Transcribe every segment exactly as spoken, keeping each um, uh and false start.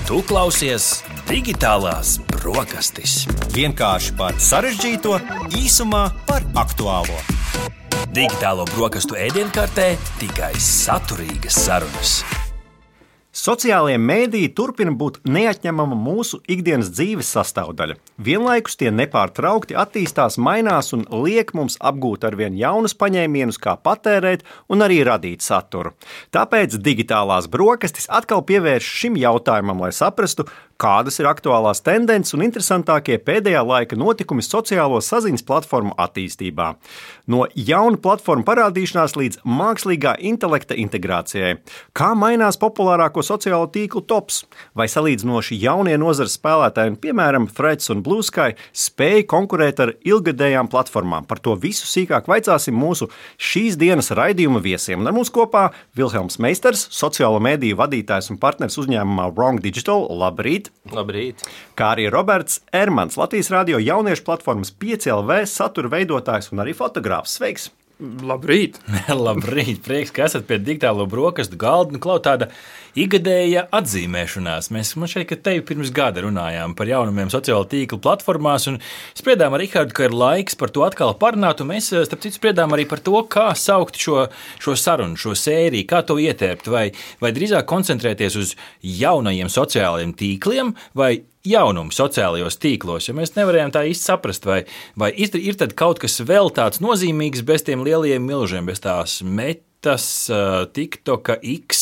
Tu klausies Digitālās brokastis. Vienkārši par sarežģīto, īsumā par aktuālo. Digitālo brokastu ēdienkartē tikai saturīgas sarunas. Sociālie mēdīji turpina būt neatņemama mūsu ikdienas dzīves sastāvdaļa. Vienlaikus tie nepārtraukti attīstās, mainās un liek mums apgūt arvien jaunus paņēmienus, kā patērēt un arī radīt saturu. Tāpēc Digitālās brokastis atkal pievērš šim jautājumam, lai saprastu, kādas ir aktuālās tendences un interesantākie pēdējā laika notikumi sociālo saziņas platformu attīstībā. No jaunu platformu parādīšanās līdz mākslīgā intelekta integrācijai. Kā mainās populārāko sociālo tīklu tops? Vai salīdzinoši jaunie nozares spēlētāji, piemēram, Threads un Blue Sky, spēj konkurēt ar ilgadējām platformām? Par to visu sīkāk vaicāsim mūsu šīs dienas raidījuma viesiem. Un ar mums kopā Vilhelms Meisters, sociālo mēdīju vadītājs un partners uzņēmumā Wrong Digital. Labrīt! Labrīt! Kā arī Roberts Ermans, Latvijas radio jauniešu platformas pieci L V satura veidotājs un arī fotogrāfs. Sveiks! Labrīt! Labrīt! Prieks, ka esat pie digitālo brokastu galda. Nu, klau, tāda ikgadēja atzīmēšanās. Mēs man šeit, ka tevi pirms gada runājām par jaunumiem sociālo tīklu platformās un spriedām ar Rihardu, ka ir laiks par to atkal parunāt, un mēs, starp citu, spriedām arī par to, kā saukt šo, šo sarunu, šo sēriju, kā to ietērpt, vai, vai drīzāk koncentrēties uz jaunajiem sociālajiem tīkliem, vai jaunumu sociālajos tīklos, jo mēs nevarējām tā īsti saprast, vai, vai ir, ir tad kaut kas vēl tāds nozīmīgs bez tiem lielajiem milžiem, bez tās metas, TikToka, X,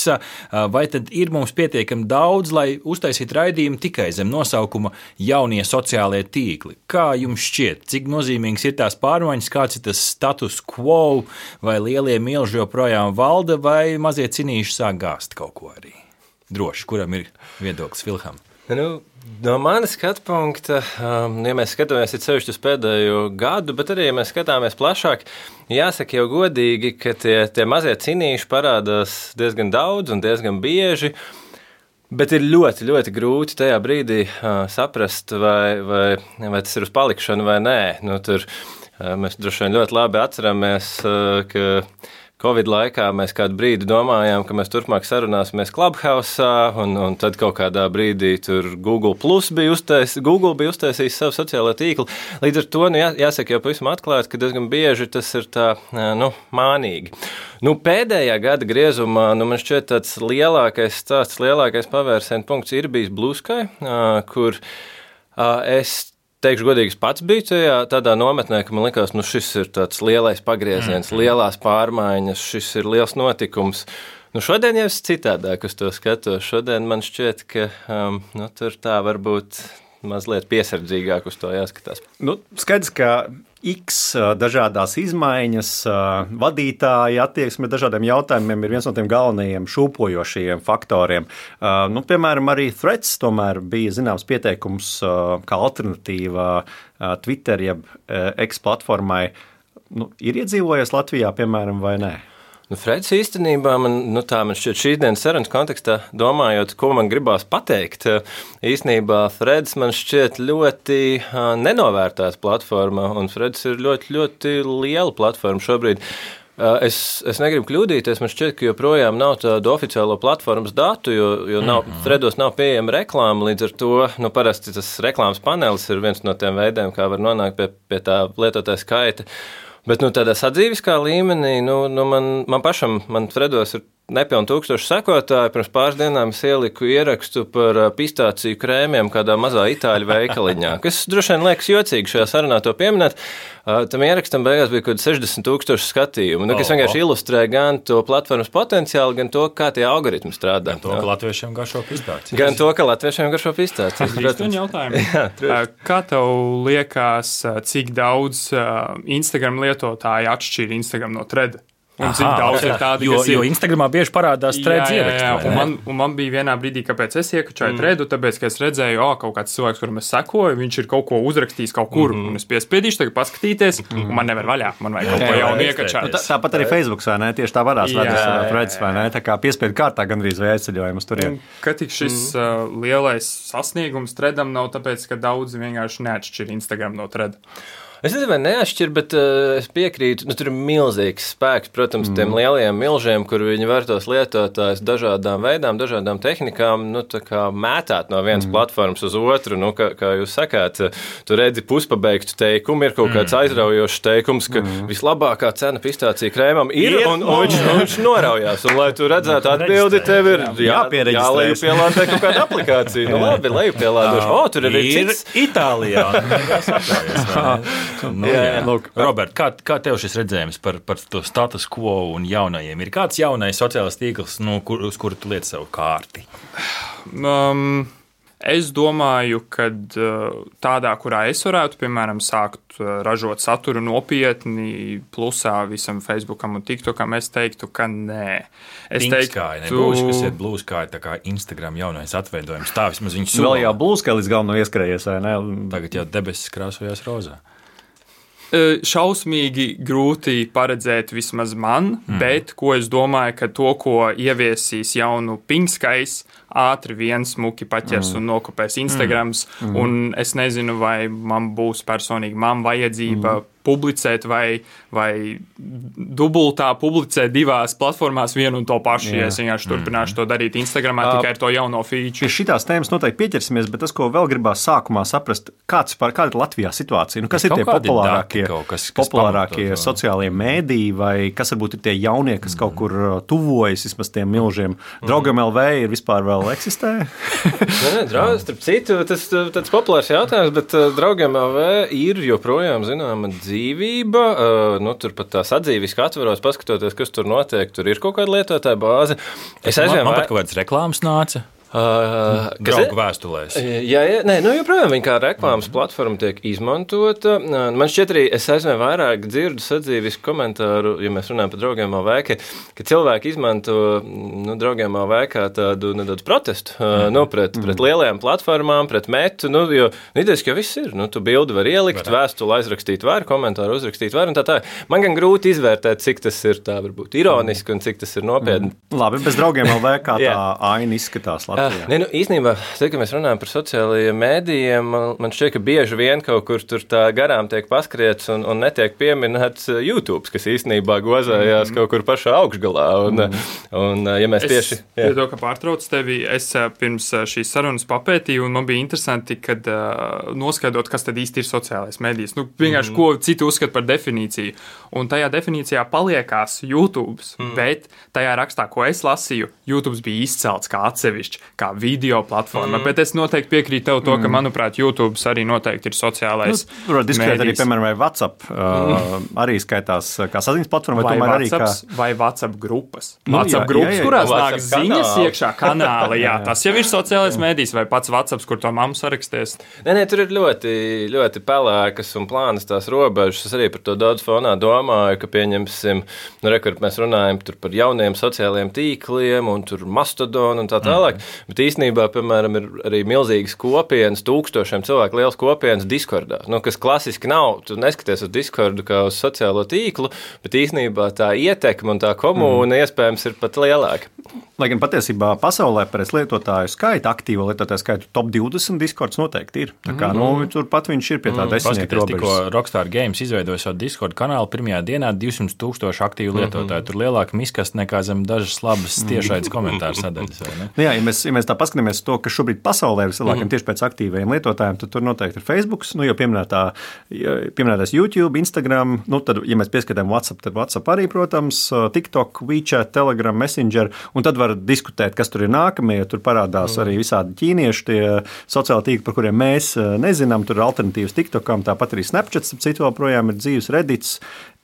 vai tad ir mums pietiekami daudz, lai uztaisītu raidījumu tikai zem nosaukuma jaunie sociālie tīkli. Kā jums šķiet, cik nozīmīgs ir tās pārmaiņas, kāds ir tas status quo, vai lielie milži joprojām valda, vai mazie cinīši sāk gāzt kaut ko arī? Droši, kuram ir viedoklis, Vilhelm? Nu, no manas skatu punkta, um, ja mēs skatāmies sevišķi uz pēdējo gadu, bet arī, ja mēs skatāmies plašāk, jāsaka jau godīgi, ka tie, tie mazie cinīši parādās diezgan daudz un diezgan bieži, bet ir ļoti, ļoti grūti tajā brīdī uh, saprast, vai, vai, vai tas ir uz palikšanu vai nē. Nu, tur, uh, mēs droši vien ļoti labi atceramies, uh, ka Covid laikā mēs kādu brīdi domājām, ka mēs turpmāk sarunāsimies Clubhouse'ā, un, un tad kaut kādā brīdī tur Google Plus bija uztais, Google bija uztaisījis savu sociālo tīklu. Līdz ar to, nu, jā, jāsaka jau pavisam atklāti, ka diezgan bieži tas ir tā, nu, mānīgi. Nu, pēdējā gada griezumā, nu, man šķiet tāds lielākais stāsts, lielākais pavērsienu punkts ir bijis Blue Sky, kur es teikšu godīgi, es pats biju tajā tādā nometnē, ka man likās, nu šis ir tāds lielais pagrieziens, lielās pārmaiņas, šis ir liels notikums. Nu šodien jau es citādāk uz to skatos. Šodien man šķiet, ka um, nu, tur tā varbūt mazliet piesardzīgāk uz to jāskatās. Nu, skaidrs, ka X dažādās izmaiņas, vadītāji attieksme dažādiem jautājumiem ir viens no tiem galvenajiem šūpojošajiem faktoriem. Nu, piemēram, arī Threads tomēr bija zināms pieteikums kā alternatīva Twitter jeb X platformai. Nu, ir iedzīvojies Latvijā, piemēram, vai nē? Nu, Freds īstenībā, man, nu tā man šķiet šīs dienas sarunas kontekstā, domājot, ko man gribās pateikt, īstenībā Freds man šķiet ļoti uh, nenovērtēta platforma, un Freds ir ļoti, ļoti liela platforma šobrīd. Uh, es, es negribu kļūdīties, man šķiet, ka joprojām nav tādu oficiālo platformas datu, jo, jo nav, mm-hmm. Fredos nav pieejama reklāma, līdz ar to, nu parasti tas reklāmas panelis ir viens no tiem veidiem, kā var nonākt pie, pie tā lietotāja skaita. Bet nu, tādā sadzīviskā līmenī, nu, nu man, man pašam, man Fredos ir nepilni tūkstoši sekotāji. Pirms pāris dienām es ieliku ierakstu par pistāciju krēmiem kādā mazā itāļu veikaliņā, kas droši vien liekas jocīgi šajā sarunā to pieminēt. Tam ierakstam beigās bija kaut sešdesmit tūkstoši skatījumu, nu, kas oh, vienkārši oh. ilustrē gan to platformas potenciālu, gan to, kā tie algoritmi strādā. Gan to, ka latviešiem garšo pistāciju. Gan to, ka latviešiem garšo pistāciju. Protams, jautājumu. Jā, kā tev liekas, cik daudz Instagram lietotāji atšķir Instagram no Thread? Un cik daudz ir tādi, jo, kas ir... Jo Instagramā bieži parādās Threads ieraksti. Jā, jā, un man, un man bija vienā brīdī, kāpēc es iekačāju mm. Threadu, tāpēc, ka es redzēju, o, kaut kāds cilvēks, kuram es sekoju, viņš ir kaut ko uzrakstījis kaut kur, mm. un es piespiedīšu tagad paskatīties, mm. un man nevar vaļā, man vajag kaut ko jaunu iekačāt. Tā, tāpat arī Facebooks, vai ne? Tieši tā varās redzes Threads, vai ne? Tā kā piespiedu kārtā gandrīz vai aizceļojumus tur ir. Ka tik šis mm. uh, lielais sasniegums Threadam nav tāpēc, ka daudzi vienkārši neatšķir Instagram no Thread. Es nezinu, vai neatšķir, bet uh, es piekrītu, nu, tur ir milzīgs spēks, protams, mm. tiem lielajiem milžiem, kur viņi var tos lietotājus dažādām veidām, dažādām tehnikām, nu, tā kā mētāt no vienas mm. platformas uz otru, nu, kā, kā jūs sakāt, tu redzi puspabeigtu teikumu, ir kaut kāds aizraujošs teikums, ka mm. vislabākā cena pistācija krēmam ir, ir un, un, viņš, un viņš noraujās, un lai tu redzētu atbildi, tev ir jā, jālejupielādē kaut kāda aplikācija, nu, labi, lejupielādoši, o, tur ir cits. Itālijā. Nu, jā, jā. Lūk, Robert, kā, kā tev šis redzējums par, par to status quo un jaunajiem? Ir kāds jaunais sociālais tīkls, nu, kur, uz kuru tu liec savu kārti? Um, es domāju, ka tādā, kurā es varētu, piemēram, sākt ražot saturu nopietni, plusā visam Facebookam un TikTokam, es teiktu, ka nē. Es teiktu, nebūs, kas ir Blue Sky, tā kā Instagram jaunais atveidojums. Tā vismaz viņš sula. Vēl jau Blue Sky līdz galveno ieskrējies, vai ne? Tagad jau debesis krāsojās rozā. Šausmīgi grūti paredzēt vismaz man, mm. bet ko es domāju, ka to, ko ieviesīs jaunu Pinkskais, ātri vien smuki paķers mm. un nokopēs Instagrams, mm. un es nezinu, vai man būs personīgi man vajadzība mm. publicēt vai, vai dubultā publicēt divās platformās vienu un to pašu, ja es vienkārši turpināšu to darīt Instagramā uh, tikai ar to jauno feature. Pie šitās tēmas noteikti pieķersimies, bet tas, ko vēl gribās sākumā saprast, kāds par kāda ir Latvijā situācija, nu, kas ir tie populārākie, dati, kas, kas populārākie sociālie mēdī, vai kas varbūt ir tie jaunie, kas mm. kaut kur tuvojas vismaz tiem milžiem. Draugam L V ir vispār vēl eksistē? Nē, nē, draudz, starp citu, tas tāds populārs jautājums, bet uh, Draugam L V ir joprojām zināma dzīvība, uh, nu, tur pat tās atzīvis, ka atveros, paskatoties, kas tur notiek, tur ir kaut kāda lietotāja bāze. Es aizvien, man, man pat kaut kādas reklāmas nāca. Uh, Draugu vēstulēs. Jā, jā, nē, nu joprojām viņa kā reklāmas mm. platforma tiek izmantota. Man šķiet arī, es aizvien vairāk dzirdu sadzīvisku komentāru, ja mēs runājam par Draugiem L V, ka, ka cilvēki izmanto nu, Draugiem L V kā tādu nedaudz protestu mm. nu, pret, pret mm. lielajām platformām, pret metu, nu, jo idejas, ka viss ir. Nu, tu bildi var ielikt, Varā. Vēstuli aizrakstīt var, komentāru uzrakstīt var un tā tā. Man gan grūti izvērtēt, cik tas ir tā varbūt ironiski un cik tas ir nopietni. Mm. Labi, bez Draugiem L V kā tā aina izskatās Latvijā. Nē, nu, īstenībā, tad, kad mēs runājam par sociālajiem mēdījiem, man, man šķiet, ka bieži vien kaut kur tur tā garām tiek paskriets un, un netiek pieminēts YouTube, kas īstenībā gozājās mm. kaut kur pašā augšgalā. Un, mm. un, ja mēs es, tieši... Ja to, ka pārtrauc tevi, es pirms šīs sarunas papētīju, un man bija interesanti, kad uh, noskaidrot, kas tad īsti ir sociālais mēdījis. Nu, vienkārši, mm. ko citi uzskata par definīciju. Un tajā definīcijā paliekās YouTube, mm. bet tajā rakstā, ko es lasīju, YouTube bija izcelts kā atsevišķi, kā video platforma, mm. bet es noteikti piekrītu tev to, ka, manuprāt, YouTube arī noteikti ir sociālais mēdījis. Nu, diskutēt arī, piemēram, vai WhatsApp uh, mm. arī skaitās kā saziņas platforma, vai, vai tomēr arī kā... Vai WhatsApp grupas. Nu, WhatsApp jā, grupas, jā, jā, kurās nāk ziņas kanāli. Iekšā kanāli, jā, tas jau ir sociālais mēdījis, vai pats WhatsApp, kur to mammu saraksties. Nē, nē, tur ir ļoti, ļoti pelēkas un plānas tās robežas. Es arī par to daudz fonā domāju, ka pieņemsim, nu, rekur, mēs runājam tur par jauniem sociālajiem tīkliem un tur Mastodon un tā tālāk, mm. bet īstenībā, piemēram, ir arī milzīgas kopienas, tūkstošiem cilvēku liels kopienas Discordā, nu, kas klasiski nav, tu neskaties uz Discordu kā uz sociālo tīklu, bet īstenībā tā ietekme un tā komūna mm. iespējams ir pat lielāka. Lai gan patiesībā pasaulē pēc lietotāju skaita, aktīvo lietotāju skaitu top divdesmit Discords noteikti ir. Tā kā, mm. nu, turpat viņš ir pie tā mm. desmitnieka robežas. Tikko Rockstar Games izveidoja savu Discord kanālu, pirmajā dienā divsimt tūkstoši aktīvu lietotāju. Mm-hmm. Tur lielāka miskast nekā zem dažas labas tiešaidas komentāru sadaļas. Nu, jā, ja mēs, ja mēs tā paskatāmies to, ka šobrīd pasaulē ir vislielākiem mm. tieši pēc aktīvajiem lietotājiem, tad tur noteikti ir Facebook, nu, jo pieminētā, pieminētās YouTube, Instagram, nu, tad, ja mēs pieskatām WhatsApp, tad WhatsApp arī, protams, TikTok, WeChat, Telegram, Messenger, un tad var diskutēt, kas tur ir nākamie, tur parādās mm. arī visādi ķīnieši, tie sociāli tīkli, par kuriem mēs nezinām, tur ir alternatīvas TikTokam, tāpat arī Snapchats, citu vēl projām ir dzīves Reddits,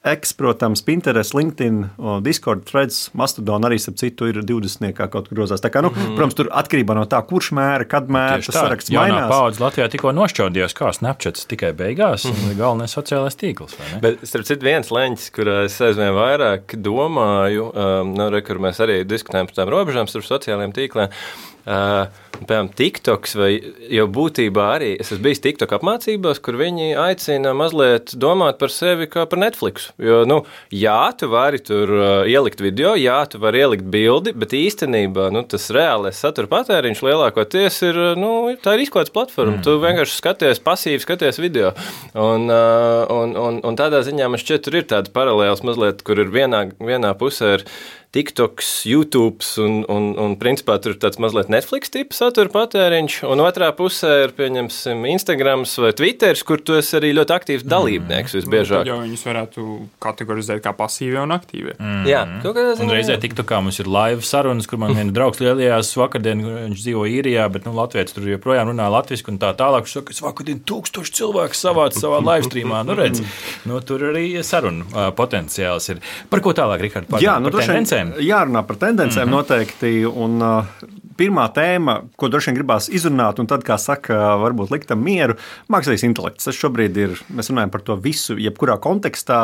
X, protams, Pinterest, LinkedIn, Discord, Threads, Mastodon arī, ap citu, ir divdesmitniekā kaut kur grozās. Tā kā, nu, mm. protams, tur atkarībā no tā, kurš mēra, kad mēra, tas saraksts mainās. Jaunā paudze Latvijā tikko nošķaudījās, kā Snapchats tikai beigās, mm. galvenais sociālais tīkls, vai ne? Bet, starp citu, viens leņķis, kurā es aizvien vairāk domāju, um, nu, re, kur mēs arī diskutējam par tām robežām starp sociālajiem tīkliem, Uh, piemēram, TikToks vai jau būtībā arī, es esmu bijis TikTok apmācībās, kur viņi aicina mazliet domāt par sevi kā par Netflix. Jo, nu, jā, tu vari tur uh, ielikt video, jā, tu vari ielikt bildi, bet īstenībā, nu, tas reālais satura patēriņš lielākoties ir, nu, tā ir izklādes platforma. Mm. Tu vienkārši skaties, pasīvi skaties video. Un, uh, un, un, un tādā ziņā man šķiet, tur ir tāda paralēls mazliet, kur ir vienā, vienā pusē ir TikToks, YouTubes un, un, un principā tur ir tāds mazliet Netflix tipa satura patēriņš, un otrā pusē ir, pieņemsim, Instagrams vai Twitters, kur tu esi arī ļoti aktīvs dalībnieks visbiežāk. Tad jau viņus varētu kategorizēt kā pasīvie un aktīvie. Mm. Jā, kaut kādā ziņā. Un reizē TikTokā mums ir live sarunas, kur man viena draugs lielajās vakardien, viņš dzīvo īrijā, bet, nu, Latvijas tur joprojām runā latviski un tā tālāk. Viņš saka, es vakardien tūkstoši cilvēku savāc savā live streamā. Nu, redz, nu, tur arī sarunu uh, potenciāls ir. Par ko tālāk, Rihard? Par, Jā, nu, par tendencēm? Jārunā par tendencēm mm-hmm. noteikti. Un, uh, pirmā tēma, ko droši vien gribās izrunāt, un tad, kā saka, varbūt likt tam mieru, mākslīgais intelekts. Tas šobrīd ir, mēs runājam par to visu, jebkurā kontekstā.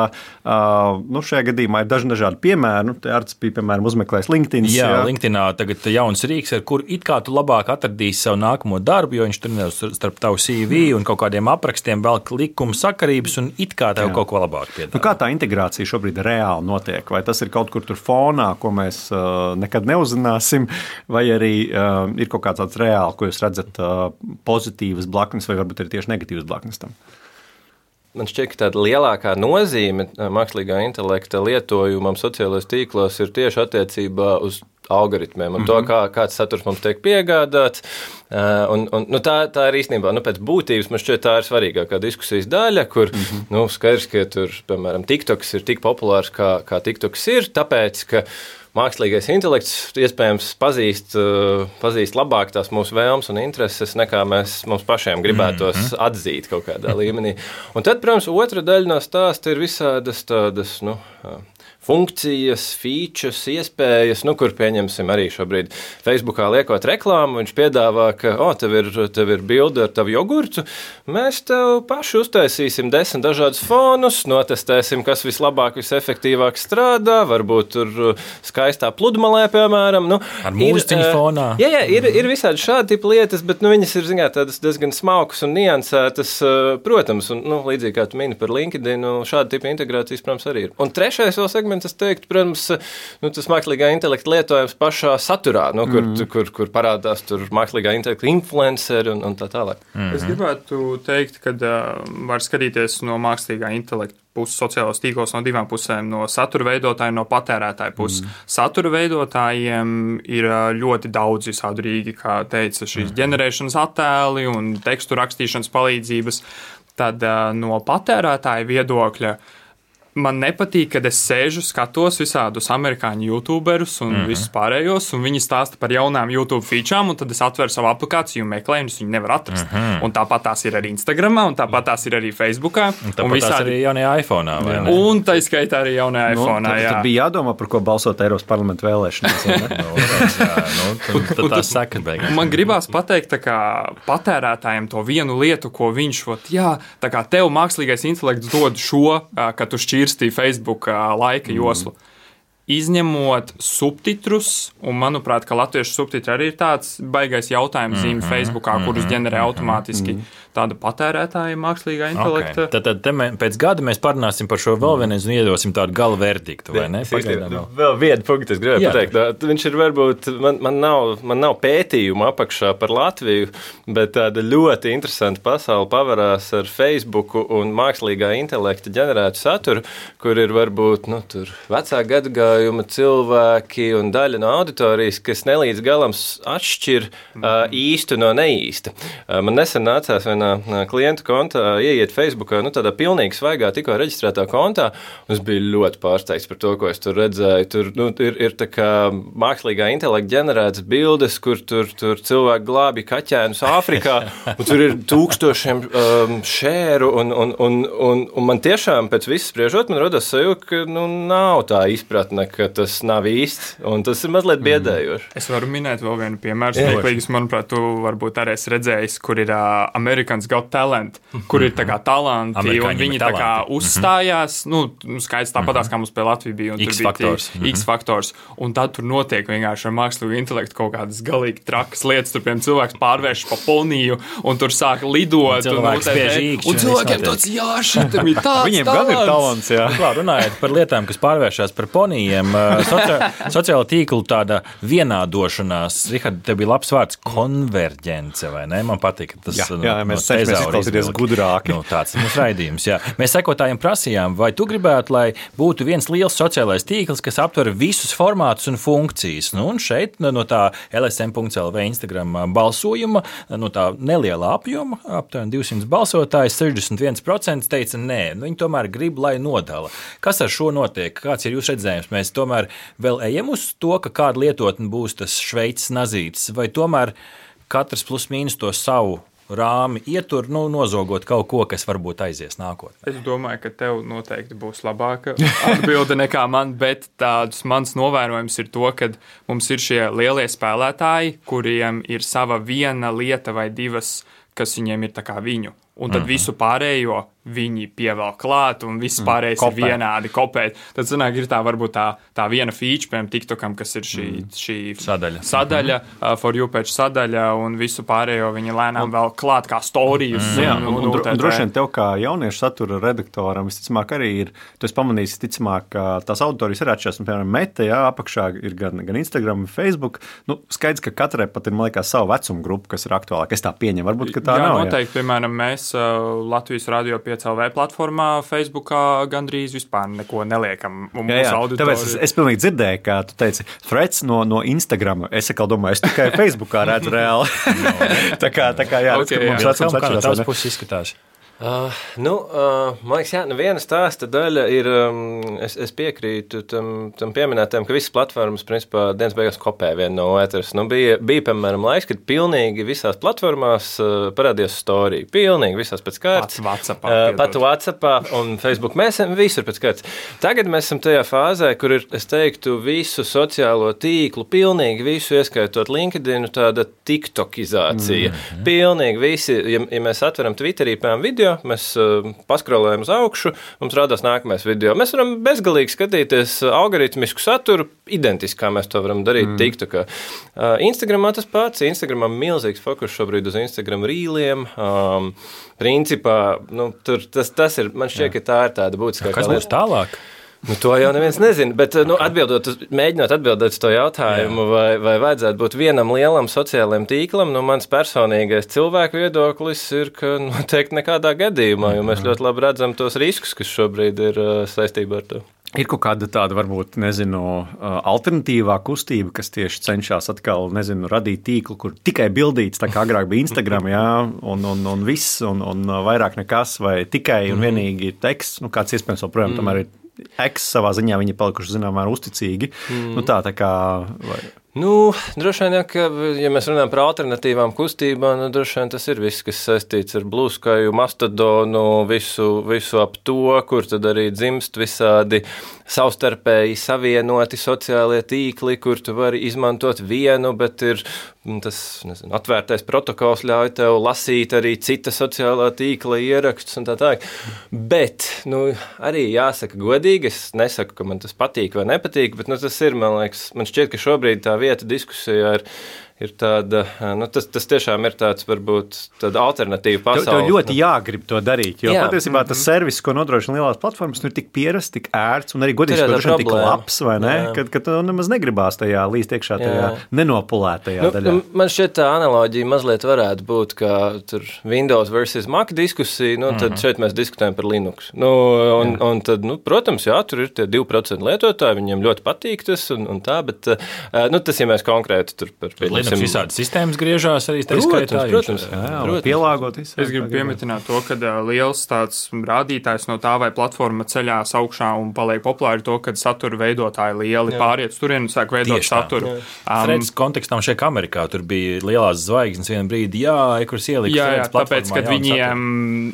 Uh, nu, šajā gadījumā ir daži dažādi piemēri. Nu, te Arts bija, piemēram, uzmeklējis LinkedIn. Jā, jā. LinkedInā tagad jauns rīks, ar kur it kā tu labāk atradīsi savu nākamo darbu, jo viņš tur nevis starp tavu C V un kaut kādiem aprakstiem velk likuma sakarības un it kā tev jā. Kaut ko labāk piedāvā. Nu, kā tā integrācija šobrīd reāli notiek? Vai tas ir kaut kur tur fonā, ko mēs uh, nekad neuzzināsim, vai arī uh, ir kaut kāds tāds reāli, ko jūs redzat uh, pozitīvas blaknes, vai varbūt ir tieši negatīvas blaknes tam? Man šķiet, ka tāda lielākā nozīme mākslīgā intelekta lietojumam sociālajos tīklos ir tieši attiecībā uz algoritmiem un mm-hmm. to, kā, kāds saturs mums tiek piegādāts. Uh, un, un, nu, tā, tā ir īstenībā, nu, pēc būtības man šķiet, tā ir svarīgākā diskusijas daļa, kur, mm-hmm. nu, skaidrs, ka tur, piemēram, TikToks ir tik populārs, kā, kā TikToks ir, tāpēc, ka mākslīgais intelekts iespējams pazīst, uh, pazīst labāk tās mūsu vēlmes un intereses, nekā mēs mums pašiem gribētos mm-hmm. atzīt kaut kādā līmenī. Un tad, protams, otra daļa no stāsta ir visādas tādas, nu, uh, funkcijas, features, iespējas, nu, kur pieņemsim arī šobrīd Facebookā liekot reklāmu, viņš piedāvā, ka, o, tev ir, tev ir bilde ar tavu jogurtu, mēs tev paši uztaisīsim desmit dažādus fonus, notestēsim, kas vislabāk, visefektīvāk strādā, varbūt tur skaistā pludmalē, piemēram. Nu, ar mūziķiņu fonā. Jā, jā, ir, ir visādi šādi tipi lietas, bet, nu, viņas ir, zināmā, tādas diezgan smalkas un niansētas, protams, un, nu, līdzīgi kā tu mini par LinkedIn, šāda tipa integrācijas, protams, arī ir. Un trešais vēl segments, es teiktu, protams, nu, tas mākslīgā intelekta lietojums pašā saturā, nu, kur, mm. kur, kur parādās tur mākslīgā intelekta influenceri un, un tā tālāk. Mm-hmm. Es gribētu teikt, ka uh, var skatīties no mākslīgā intelekta puses sociālos tīklos no divām pusēm, no satura veidotāja un no patērētāja puses. Mm. Satura veidotājiem ir ļoti daudz visādu rīki, kā teica, šīs mm. ģenerēšanas attēli un tekstu rakstīšanas palīdzības. Tad uh, no patērētāja viedokļa man nepatīk, kad es sēžu, skatos visādus amerikāņu youtuberus un mm-hmm. visus pārējos, un viņi stāsta par jaunām YouTube featurām, un tad es atveru savu aplikāciju un meklēju, un es viņu nevaru atrast. Mm-hmm. Un tāpat tās ir arī Instagramā, un tāpat tās ir arī Facebookā. Un tāpat un visādi... tās arī jaunajā iPhone'ā, vai ne? Un tā izskaitā arī jaunajā nu, iPhone'ā, jā. Tad bija jādomā, par ko balsot Eiropas parlamenta vēlēšanās, vai ne? no, jā, nu, tad, tad tās sekas beigās. Man gribās pateikt, tā kā patērētājiem to vienu lietu, ko viņš, ot, jā, tā kā tev mākslīgais intelekts dod šo, ka tu šķir Facebook laika joslu. Mm. Izņemot subtitrus, un manuprāt, ka latviešu subtitri arī ir tāds baigais jautājums zīme mm-hmm, Facebookā, mm-hmm, kurus ģenerē mm-hmm, automātiski mm-hmm. tāda patērētāja mākslīgā intelekta. Okay. Tad, tad mē, pēc gada mēs parunāsim par šo vēl vienreiz un iedosim tādu gala verdiktu, vai ne? Pagaidām vēl. Vēl vienu punktu es gribēju Jā. pateikt. Viņš ir varbūt, man, man, nav, man nav pētījumu apakšā par Latviju, bet tāda ļoti interesanta pasaule pavarās ar Facebooku un mākslīgā intelekta ģenerētu saturu, kur ir varbūt, nu, tur vecā gadagā cilvēki un daļa no auditorijas, kas nelīdz galam atšķir uh, īstu no neīsta. Uh, man nesen nācās vienā uh, klientu kontā ieiet Facebookā, nu tādā pilnīgi svaigā, tikko reģistrētā kontā, un es biju ļoti pārsteigts par to, ko es tur redzēju. Tur nu, ir, ir tā kā mākslīgā intelekta ģenerētas bildes, kur tur, tur cilvēki glābi kaķēnus Āfrikā, un tur ir tūkstošiem um, šēru, un, un, un, un, un man tiešām pēc viss spriežot, man rodas sajūta, ka nu, nav tā izpratne, domāju, ka tas nav īsts, un tas ir mazliet biedējoši. Es varu minēt vēl vienu piemēru. Steiklīgas, manuprāt, tu varbūt arī esi redzējis, kur ir uh, Americans Got Talent, kur ir tā kā talanti, Amerikāņi un viņi tā kā uzstājās, nu, skaidrs tāpatās, kā mums pie Latvijas bija, un tur bija tie X faktors, un tad tur notiek vienkārši ar mākslīgu intelektu kaut kādas galīgi trakas lietas, tur, piemēram, cilvēks pārvērš pa poniju, un tur sāk lidot, un, un, un cilvēkiem tāds, jā, šitam ir tāds Viņiem talants. gan ir talants, jā. Klāt, runājot par lietām, kas pārvēršās par ponijiem, socia sociāla tīklu tāda vienādošanās, Rihard, tev bija labs vārds konverģence, vai ne? Man patīk, tas jā, no, jā, mēs no cenšamies izklausīties gudrāki. Nu, tāds ir mūsu raidījums, jā. Mēs sekotājiem prasījām, vai tu gribētu, lai būtu viens liels sociālais tīkls, kas aptver visus formātus un funkcijas. Nu, un šeit no tā L S M punkt L V Instagram balsojuma, no tā nelielā apjoma, aptuveni divsimt balsotājs, sešdesmit viens procents teica nē. Nu, viņi tomēr grib, lai nodala. Kas ar šo notiek? Kāds ir jūsu redzējums? Mēs tomēr vēl ejam uz to, ka kāda lietotne būs tas Šveices nazītis, vai tomēr katrs plus mīnus to savu rāmi ietur, nu, nozogot kaut ko, kas varbūt aizies nākotnē? Es domāju, ka tev noteikti būs labāka atbilde nekā man, bet tāds mans novērojums ir to, ka mums ir šie lielie spēlētāji, kuriem ir sava viena lieta vai divas, kas viņiem ir tā kā viņu. Un tad mm-hmm. visu pārējo viņi pievēl klāt, un viss pārējais mm, ir vienādi kopēt. Tad, sanāk, ir tā varbūt tā, tā viena feature, piemēram, TikTokam, kas ir šī, mm. šī sadaļa, sadaļa mm-hmm. uh, for you page sadaļa, un visu pārējo viņi lēnām un, vēl klāt kā storijus. Mm. Jā, un, un, un, un droši vien tev kā jauniešu satura redaktoram, visticamāk arī ir, tu esi pamanījis, ticamāk, ka tās auditorijas ir atšķirās, un, piemēram, Meta, jā, apakšā ir gan, gan Instagram, Facebook. Nu, skaidrs, ka katrai pat ir, man liekas, savu vecumu grupu, kas ir aktuālāka. Es tā pieņemu, varbūt, ka tā jā, nav. Noteikti, jā, piemēram, mēs uh, Latvijas radio pieci L V platformā, Facebookā gandrīz vispār neko neliekam. Jā, jā. Tāpēc es, es pilnīgi dzirdēju, kā tu teici, Freds no, no Instagram. Es atkal domāju, es tikai Facebookā redzu reāli. tā kā, tā kā jā, okay, redz, mums vecums atšķirās. Kā tās puses izskatās? Uh, nu, uh, man liekas, jā, nu viena stāsta daļa ir, um, es, es piekrītu tam, tam pieminētiem, ka visas platformas, principā, dienas beigās kopē viena no otras. Nu, bija, bija, piemēram, laiks, kad pilnīgi visās platformās uh, parādījās story. Pilnīgi visās pēc kārtas. Pats WhatsAppā. Uh, pat WhatsAppā un Facebook. Mēs esam visur pēc kārtas. Tagad mēs esam tajā fāzē, kur ir, es teiktu, visu sociālo tīklu, pilnīgi visu, ieskaitot LinkedInu, tāda tiktokizācija. Mm-hmm. Pilnīgi visi, ja, ja mēs atveram Twitterī, piemēram, video, mēs uh, paskrolējam uz augšu, mums rādās nākamais video. Mēs varam bezgalīgi skatīties algoritmisku saturu, identiski, kā mēs to varam darīt mm. TikTokā. Uh, Instagramā tas pats. Instagramā milzīgs fokus šobrīd uz Instagram rīliem. Um, principā, nu, tur, tas, tas ir, man šķiet, ka tā ir tāda būtiskākā lieta. Kas būs tālāk? Nu, to jau neviens nezina, bet nu, atbildot, mēģinot atbildēt uz to jautājumu, vai, vai vajadzētu būt vienam lielam sociālajam tīklam, nu, mans personīgais cilvēku viedoklis ir, ka noteikti nekādā gadījumā, jo mēs ļoti labi redzam tos riskus, kas šobrīd ir uh, saistībā ar to. Ir kaut kāda tāda, varbūt, nezinu, alternatīvā kustība, kas tieši cenšas atkal, nezinu, radīt tīklu, kur tikai bildīts, tā kā agrāk bija Instagram, jā, un, un, un viss, un, un vairāk nekas, vai tikai un vienīgi teksts, nu, kāds iespējams joprojām tomēr ir X savā ziņā, viņi ir palikuši zināmā uzticīgi. Mm. Nu tā, tā kā... Vai... Nu, droši vien, ja, ka, ja mēs runājam par alternatīvām kustībām, nu, droši vien tas ir viss, kas saistīts ar Blue Sky, Mastodonu, visu, visu ap to, kur tad arī dzimst visādi savstarpēji savienoti sociālie tīkli, kur tu vari izmantot vienu, bet ir tas, nezinu, atvērtais protokols ļauj tev lasīt arī cita sociālā tīkla ierakstus un tā tā. Bet, nu, arī jāsaka godīgi, es nesaku, ka man tas patīk vai nepatīk, bet, nu, tas ir, man liekas, man šķiet, ka šobrīd tā vieta diskusijā ir, ir tāda, nu, tas, tas tiešām ir tāds, varbūt, tāda alternatīva pasaule. Tev, tev ļoti jāgrib to darīt, jo jā. Patiesībā tas servis, ko nodrošina lielās platformas, nu ir tik pierasts, tik ērts un arī godīgi, ka droši tik labs, vai ne, kad, kad tu nemaz negribās tajā līst iekšā tajā jā. Nenopulētajā nu, daļā. Nu, man šķiet tā analoģija mazliet varētu būt, kā tur Windows versus Mac diskusija, nu, tad mm-hmm. šeit mēs diskutējam par Linux. Nu, un, un tad, nu, protams, jā, tur ir tie divi procenti lietotāji, viņiem ļoti patīk tas un, un tā, bet, nu, tas, ja mēs konkrēti tur par Linux visādi sistēmas griežās arī tā skaitā. Protams, jā, jā, protams. Pielāgot visu. Es gribu piemetināt to, ka liels tāds rādītājs no tā, vai platforma ceļās augšā un paliek populāri to, kad satura veidotāji lieli jā. Pāriet turien un sāk veidot tieši saturu. Um, Freds kontekstam šeit Amerikā tur bija lielās zvaigznes vienu brīdi, jā, kuras ieliks. Jā, jā, tāpēc, kad viņiem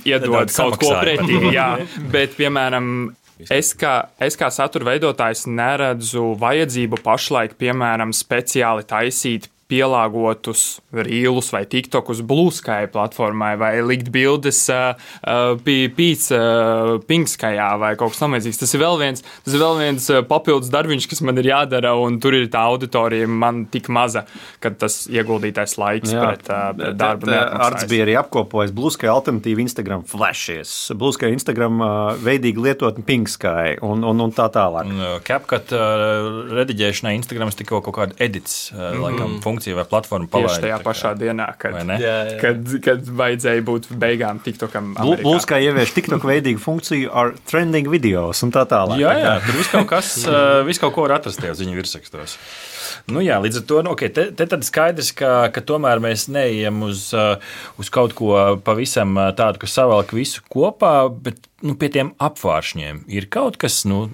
iedod kaut ko pretī, jā, bet, piemēram, Es kā, es kā satura veidotājs neredzu vajadzību pašlaik, piemēram, speciāli taisīt pielāgotus rīlus vai tiktokus Blue Sky platformai vai likt bildes uh, uh, pīca uh, Pinkskajā vai kaut kas tamlīdzīgs. Tas ir vēl viens, tas ir vēl viens uh, papildus darbiņš, kas man ir jādara, un tur ir tā auditorija man tik maza, ka tas ieguldītais laiks Jā, pret, uh, pret darbu neatmaksājas. Arts bija arī apkopojis Blue Sky alternatīvu Instagram flashes, Blue Sky Instagram uh, veidīgi lietotni Pinksky un, un, un tā tālāk. CapCut uh, rediģēšanai Instagrams tikko kaut kāda edits, uh, mm. laikam, funkcija vai platforma palaida. Tieši tajā pašā dienā, kad, jā, jā. kad, kad vajadzēja būt beigām TikTokam Amerikā. Blue Sky ievieš TikTok veidīgu funkciju ar trending videos un tā tālāk. Jā, jā, tur viss kaut kas, viss kaut ko var atrast tajā ziņu virsrakstos. Nu jā, līdz ar to, nu, okay, te, te tad skaidrs, ka, ka tomēr mēs neejam uz, uz kaut ko pavisam tādu, kas savelk visu kopā, bet nu, pie tiem apvāršņiem ir kaut kas, nu,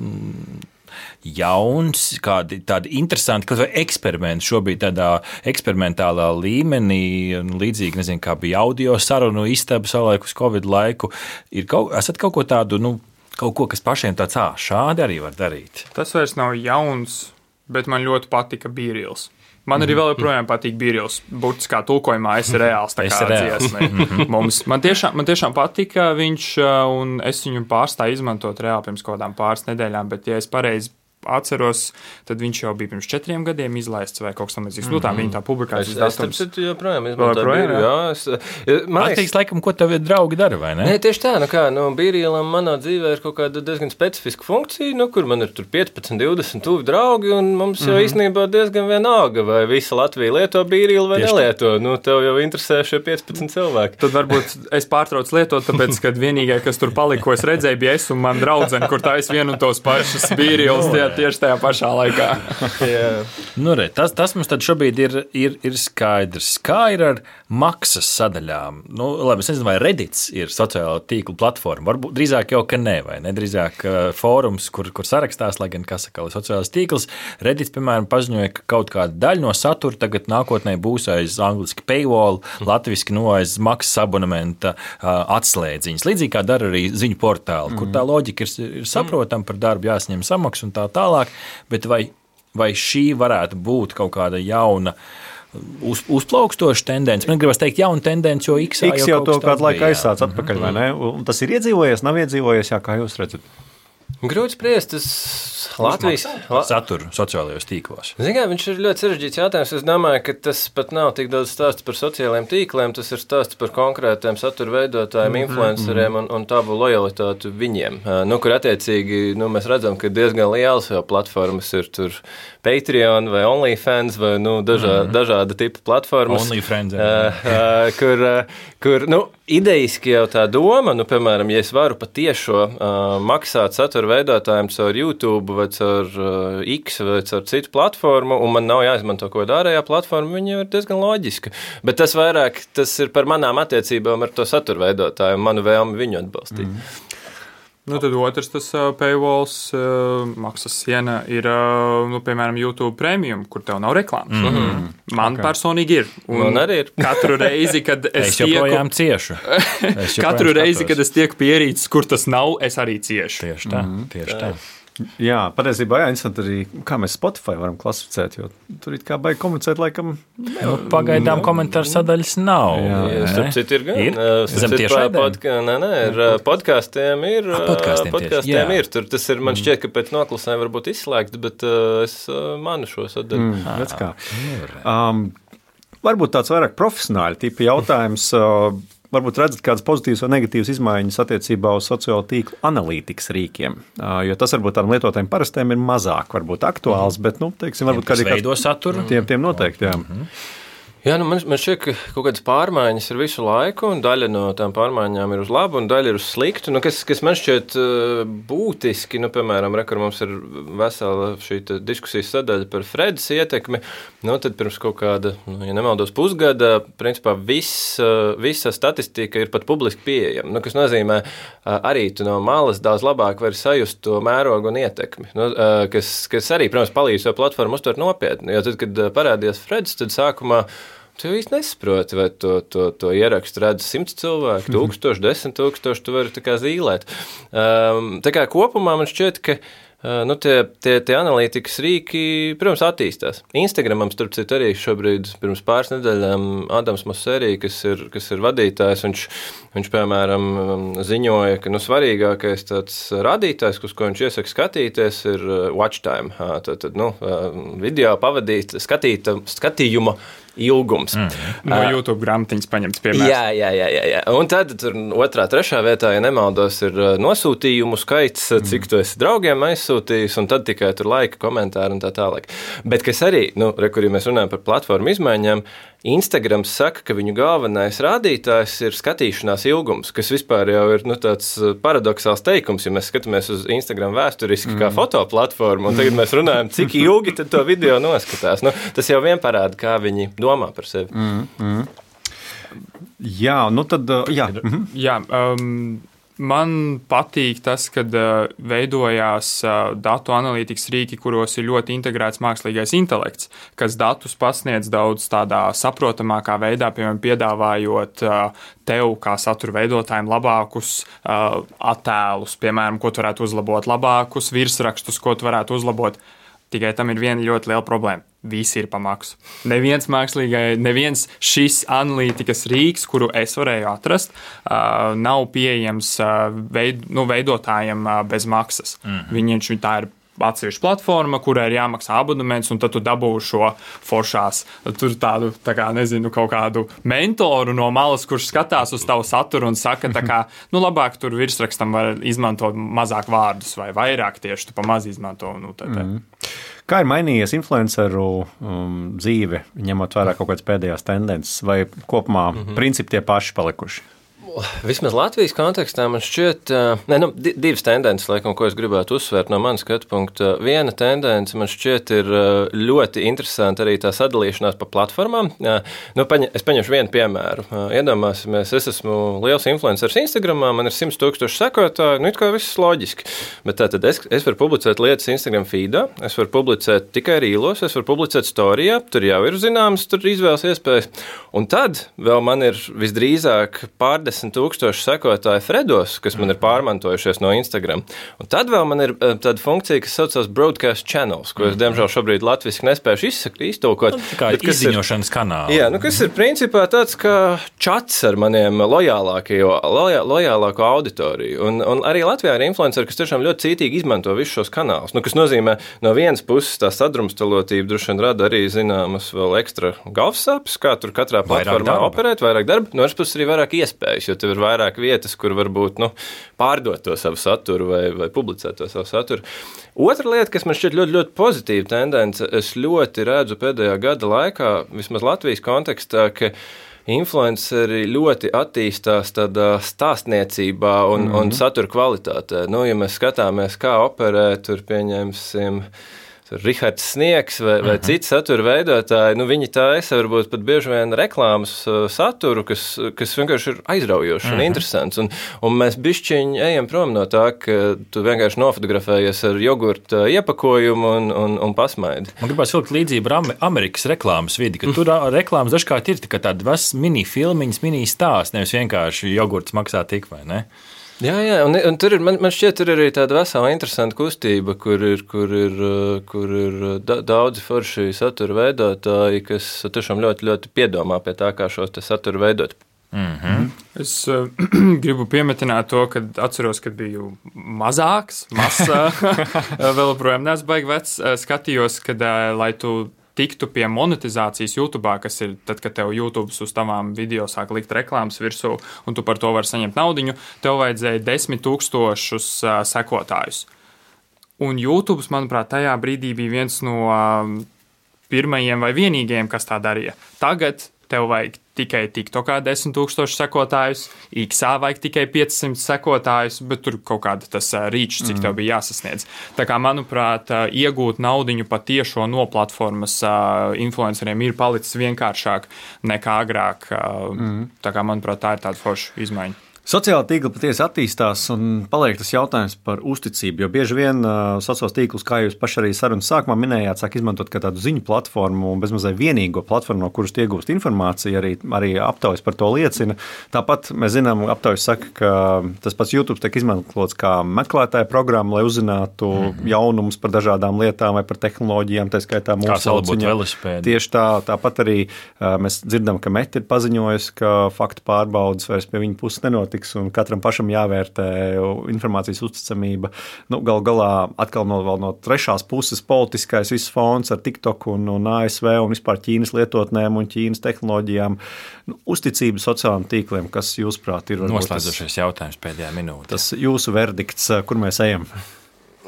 jauns, kādi tādi interesanti, kaut vai eksperimenti šobrīd tādā eksperimentālā līmenī, līdzīgi, nezinu, kā bija audio sarunu istaba savulaik uz Covid laiku. Ir kaut, esat kaut ko tādu, nu, kaut ko, kas pašiem tāds, ā, šādi arī var darīt? Tas vairs nav jauns, bet man ļoti patika B-Reels. Man arī vēl joprojām patīk B-Reels. Burtiskā tulkojumā es reāls tā kā dziesmai. Mums, man, tiešām, man tiešām patika viņš, un es viņu pārstāju izmantot reāli pirms kaut kādām pāris nedēļām, bet ja es pareizi atceros, tad viņš jau bija pirms četriem gadiem izlaists vai kaut kas tamlīdzīgs. Nu, tā viņa tā publikācijas datums. Es joprojām izmantoju B-Reelu, jā. Es, man liekas, laikam, ko tavi draugi dara, vai ne? Nē, tieši tā, nu kā, nu, B-Reelam manā dzīvē ir kaut kāda diezgan specifiska funkcija, nu, kur man ir tur piecpadsmit, divdesmit tuvi draugi, un mums jau mm-hmm. īstenībā diezgan vienalga, vai visa Latvija lieto B-Reelu vai tieši nelieto. Tā. Nu, tev jau interesē šie piecpadsmit cilvēki. Tad varbūt es pārtraucu lietot, tāpēc, kad vienīgai, kas tur palika, ko es redzēju, bija es un man draudzene, kur tā es vienu un tos pašus B-Reels tieši tajā pašā laikā. nu, re, tas, tas mums tad šobrīd ir, ir, ir skaidrs. Kā ir ar maksas sadaļām? Nu, labi, es nezinu, vai Reddits ir sociālo tīklu platforma. Varbūt drīzāk jau, ka ne, vai ne? Drīzāk uh, fórums, kur, kur sarakstās, lai gan, kas saka, sociālais tīkls. Reddits, piemēram, paziņoja, ka kaut kāda daļa no satura tagad nākotnē būs aiz angliski paywall, latviski no aiz maksas abonementa uh, atslēdziņas. Līdzīgi kā dara arī ziņu portāli, mm. kur tā loģika ir, ir saprotama, par darbu jāsņem samaksu un tā tālāk. Bet vai, vai šī varētu būt kaut kāda jauna uz, uzplaukstoša tendence? Man gribas teikt, jauna tendence, jo X, X jau, jau to kādu laiku aizsāc atpakaļ, vai ne? Un tas ir iedzīvojies, nav iedzīvojies, jā, kā jūs redzat? Grūti spriest, tas Latvijas la... saturu sociālajos tīklos. Zinām, viņš ir ļoti sarežģīts jautājums. Es domāju, ka tas pat nav tik daudz stāsts par sociālajiem tīkliem, tas ir stāsts par konkrētiem satura veidotājiem, mm-hmm. influenceriem un, un tavu lojalitāti viņiem. Nu, kur attiecīgi, nu, mēs redzam, ka diezgan lielas jau platformas ir tur Patreon vai OnlyFans vai, nu, dažā, mm-hmm. dažāda tipa platformas. OnlyFans, uh, uh, kur, uh, kur, nu, idejiski jau tā doma, nu, piemēram, ja es varu patiešo uh, maksāt satura veidotājiem caur YouTube vai caur uh, X vai caur citu platformu, un man nav jāizmanto kaut kāda ārējā platforma, viņa ir diezgan loģiska. Bet tas vairāk, tas ir par manām attiecībām ar to satura veidotāju un manu vēlmi viņu atbalstīt. Mm. Nu, tad otrs tas uh, paywalls, uh, maksas siena ir, uh, nu, piemēram, YouTube Premium, kur tev nav reklāmas. Mm-hmm. Man okay. personīgi ir. Un man arī ir. Katru reizi, kad es, es joprojām tieku... ciešu. Es joprojām katru reizi, skatos. Kad es tieku pierīts, kur tas nav, es arī ciešu. Tieši tā, mm-hmm. tieši tā. Jā, patiesībā jā, interesanti arī, kā mēs Spotify varam klasificēt, jo tur it kā baigi komunicēt, laikam... Nu, pagaidām komentāru sadaļas nav. Jā, jā. Starp citu ir gan. Ir? Starp citu podka... Nē, nē, ir podkāstiem ir. A, podkāstiem podkāstiem ir. Tur tas ir, man šķiet, ka pēc noklusēm varbūt izslēgts, bet uh, es uh, manu šo sadaļu. Mm, redz kā. Um, varbūt tāds vairāk profesionāli tipi jautājums... Uh, Varbūt redzat kādas pozitīvas vai negatīvas izmaiņas attiecībā uz sociālo tīklu analītikas rīkiem, jo tas varbūt tādiem lietotājiem parastiem ir mazāk varbūt aktuāls, bet, nu, teiksim, varbūt kādiem veido saturu. Tiem, tiem noteikti, jā. Mm-hmm. Jā, nu man, man šķiet, ka kaut kādas pārmaiņas ir visu laiku, un daļa no tām pārmaiņām ir uz labu, un daļa ir uz sliktu. Nu, kas, kas man šķiet būtiski, nu, piemēram, rekur mums ir vesela šī diskusijas sadaļa par Fredas ietekmi, nu, tad pirms kaut kāda, nu, ja nemaldos pusgada, principā viss, visa statistika ir pat publiski pieejama, nu, kas nozīmē, arī tu no malas daudz labāk vari sajust to mērogu un ietekmi, nu, kas, kas arī, protams, palīdz šo platformu uztvert nopietni, jo tad, kad parādījās Fredas, tad sākumā tu īsti nesaproti, vai to, to, to ierakstu redz simts cilvēku, tūkstoši, desmit tūkstoši, tu vari tā kā zīlēt. Um, tā kā kopumā man šķiet, ka Nu, tie, tie, tie analītikas rīki, protams, attīstās. Instagramam, starp citu, arī šobrīd, pirms pāris nedēļām, Adams Mosseri, kas ir, kas ir vadītājs, viņš, viņš, piemēram, ziņoja, ka nu, svarīgākais tāds rādītājs, uz ko viņš iesaka skatīties, ir watch time. Tad, tad nu, video pavadīt, skatīt, skatījuma ilgums. Mm. No YouTube grāmatiņas paņemts piemērs. Jā, jā, jā, jā, jā. Un tad tur otrā, trešā vietā, ja nemaldos, ir nosūtījumu skaits, cik tu esi draugiem aizsūtījis, un tad tikai tur laika, komentāri un tā tālāk. Bet kas arī, nu, re, kur ja mēs runājam par platformu izmaiņām, Instagrams saka, ka viņu galvenais rādītājs ir skatīšanās ilgums, kas vispār jau ir nu, tāds paradoxāls teikums, ja mēs skatāmies uz Instagram vēsturiski mm. kā fotoplatformu, un tagad mēs runājam, cik ilgi tad to video noskatās. Nu, tas jau vien parāda, kā viņi domā par sevi. Mm, mm. Jā, nu tad, jā. Mm-hmm. Jā, um, man patīk tas, kad uh, veidojās uh, datu analītikas rīki, kuros ir ļoti integrēts mākslīgais intelekts, kas datus pasniedz daudz tādā saprotamākā veidā, piemēram, piedāvājot uh, tev kā satura veidotājiem labākus uh, attēlus, piemēram, ko tu varētu uzlabot, labākus virsrakstus, ko tu varētu uzlabot. Tikai tam ir viena ļoti liela problēma. Visi ir pa maksu. Neviens mākslīgai, neviens šis analītikas rīks, kuru es varēju atrast, uh, nav pieejams uh, veid, nu, veidotājiem uh, bez maksas. Mm-hmm. Viņš tā ir atsevišķa platforma, kurai ir jāmaksā abonements, un tad tu dabū šo foršās, tur tādu, tā kā, nezinu, kaut kādu mentoru no malas, kurš skatās uz tavu saturu un saka, tā kā, nu, labāk tur virsrakstam var izmantot mazāk vārdus vai vairāk tieši, tu pa maz izmanto, nu, tā, tā. Mm. Kā ir mainījies influenceru um, dzīve, ņemot vērā kaut kādas pēdējās tendences, vai kopumā mm-hmm. principi tie paši palikuši? Vismaz Latvijas kontekstā man šķiet, ne, nu, divas tendences, laikam, ko es gribētu uzsvērt no manas skatu punkta. Viena tendence man šķiet ir ļoti interesanti arī tā sadalīšanās pa platformām. Nu, paņem, es paņemšu vienu piemēru. Iedomāsimies, es esmu liels influenceris Instagramā, man ir simts tūkstoši sekotāji, nu, it kā viss loģiski. Bet tātad es, es varu publicēt lietas Instagram feedā, es varu publicēt tikai rīlos, es varu publicēt storijā, tur jau ir zināmas, tur izvēles iespējas. Un tad vēl man ir visdrīzāk pārdesmit tūkstoši sekotāji Fredos, kas man ir pārmantojušies no Instagram. Un tad vēl man ir tāda funkcija, kas saucās broadcast channels, ko es, diemžēl, šobrīd latviski nespējuši iztulkot. Nu, kā izziņošanas kanāli. Jā, nu, kas ir principā tāds kā čats ar maniem lojālāko, lojā, lojālāko auditoriju. Un, un arī Latvijā ir influenceri, kas tiešām ļoti cītīgi izmanto visus šos kanālus. Nu, kas nozīmē, no vienas puses tā sadrumstalotība droši vien rada arī zināmas vēl ekstra galvasāpes, kā tur katrā platformā operēt, vairāk darba, no otras puses arī vairāk iespējas, jo tev ir vairāk vietas, kur varbūt nu, pārdot to savu saturu vai, vai publicēt to savu saturu. Otra lieta, kas man šķiet ļoti, ļoti pozitīva tendence, es ļoti redzu pēdējā gada laikā, vismaz Latvijas kontekstā, ka influenceri ļoti attīstās tādā stāstniecībā un, mm-hmm. un satura kvalitātē. Nu, ja mēs skatāmies, kā operē, tur pieņemsim Rihards Sniegs vai, vai uh-huh. citi satura veidotāji, nu viņi taisa varbūt pat bieži vien reklāmas saturu, kas, kas vienkārši ir aizraujošs uh-huh. un interesants. Un, un mēs bišķiņi ejam prom no tā, ka tu vienkārši nofotografējies ar jogurta iepakojumu un, un, un pasmaidi. Man gribās vilkt līdzību ar Amerikas reklāmas vidi, ka tur reklāmas dažkārt ir tikai tādi mini filmiņas, mini stāsts, nevis vienkārši jogurts maksā tik vai ne? Jā, jā, un, un tur ir, man, man šķiet, tur ir arī tāda vesela interesanta kustība, kur ir, kur ir, kur ir da, daudzi forši satura veidotāji, kas tiešām ļoti, ļoti piedomā pie tā, kā šo satura veidot. Mm-hmm. Es uh, gribu piemetināt to, ka atceros, kad biju mazāks, masa, vēl projām neesmu baigi vecs, skatījos, kad, uh, lai tu tiktu pie monetizācijas YouTube, kas ir tad, kad tev YouTube uz tavām video sāk likt reklāmas virsū, un tu par to vari saņemt naudiņu, tev vajadzēja desmit tūkstošus uh, sekotājus. Un YouTube, manuprāt, tajā brīdī bija viens no uh, pirmajiem vai vienīgajiem, kas tā darīja. Tagad tev vajag tikai TikTokā desmit tūkstoši sekotājus, X-ā vajag tikai piecsimt sekotājus, bet tur kaut kāda tas rīčs, cik tev bija jāsasniedz. Tā kā, manuprāt, iegūt naudiņu patiešo no platformas influenceriem ir palicis vienkāršāk nekā agrāk. Mm. Tā kā, manuprāt, tā ir tāda forša izmaiņa. Sociālā tīkla patiesi attīstās un paliek tas jautājums par uzticību. Jo bieži vien uh, sociālos tīklus, kā jūs paši arī sarunas sākumā minējāt, sāk izmantot kā tādu ziņu platformu un bezmazliet vienīgo platformu, no kuras iegūst informāciju. Arī, arī aptaujas par to liecina. Tāpat mēs zinām, aptaujas saka, ka tas pats YouTube tiek izmantots kā meklētāja programma, lai uzzinātu mm-hmm. jaunumus par dažādām lietām vai par tehnoloģijām, tā skaitā mūsu sauciņā. Tieši tā, tāpat arī uh, mēs dzirdam, ka Meta ir paziņojusi, ka faktu pārbaudas vairs pie viņa puses nenotiek. Un katram pašam jāvērtē informācijas uzticamība. Nu, gal galā atkal no, no trešās puses politiskais viss fons ar TikTok un, un A S V un vispār Ķīnas lietotnēm un Ķīnas tehnoloģijām. Nu, uzticība sociālajiem tīkliem, kas jūsuprāt ir noslēdzošais jautājums pēdējā minūtē. Tas jūsu verdikts, kur mēs ejam?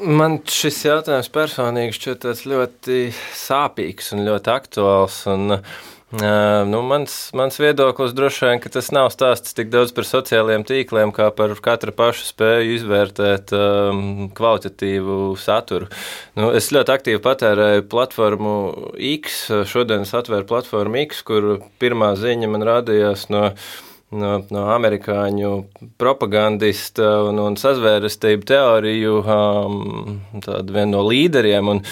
Man šis jautājums personīgi šķiet tāds ļoti sāpīgs un ļoti aktuāls. Un Uh, nu, mans, mans viedoklis droši vien, ka tas nav stāsts tik daudz par sociālajiem tīkliem, kā par katra paša spēju izvērtēt um, kvalitatīvu saturu. Nu, es ļoti aktīvi patērēju platformu X, šodien es atvēru platformu X, kur pirmā ziņa man rādījās no No, no amerikāņu propagandista un, un sazvērestību teoriju um, tādu vienu no līderiem, un,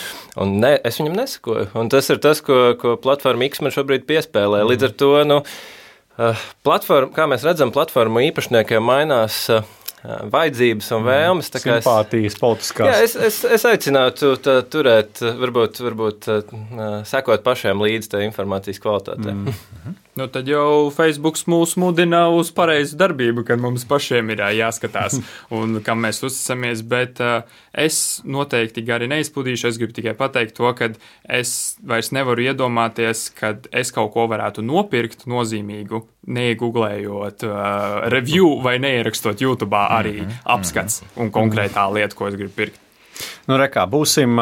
un ne, es viņam nesakoju. Un tas ir tas, ko, ko platforma X man šobrīd piespēlē. Līdz ar to, nu, uh, platforma, kā mēs redzam, platformu īpašniekiem mainās uh, vajadzības un vēlmes. Simpātijas, politiskās. Jā, es, es, es aicinātu tā, turēt, varbūt, varbūt uh, sekot pašiem līdz tā informācijas kvalitātē. Mm. Nu, tad jau Facebook mūs mudina uz pareizu darbību, kad mums pašiem ir jāskatās un kam mēs uzticamies, bet uh, es noteikti gari neizpildīšu. Es gribu tikai pateikt to, ka es vairs nevaru iedomāties, kad es kaut ko varētu nopirkt nozīmīgu, neiegooglējot uh, review vai neierakstot YouTube arī apskats un konkrētā lieta, ko es gribu pirkt. Nu, rekā, būsim,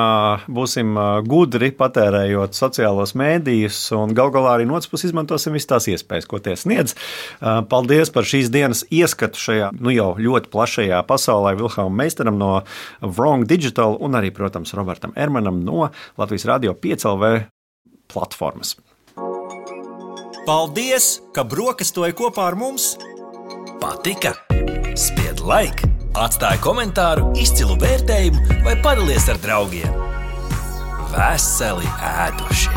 būsim gudri patērējot sociālos mēdījus un gal galā arī no otras puses izmantosim visas tās iespējas, ko tie sniedz. Paldies par šīs dienas ieskatu šajā nu jau ļoti plašajā pasaulē Vilhelmam Meistaram no Wrong Digital un arī, protams, Robertam Ermanam no Latvijas Radio pieci L V platformas. Paldies, ka brokastoji kopā ar mums! Patika? Spied like! Atstāj komentāru, izcilu vērtējumu vai padalies ar draugiem. Veseli ēduši!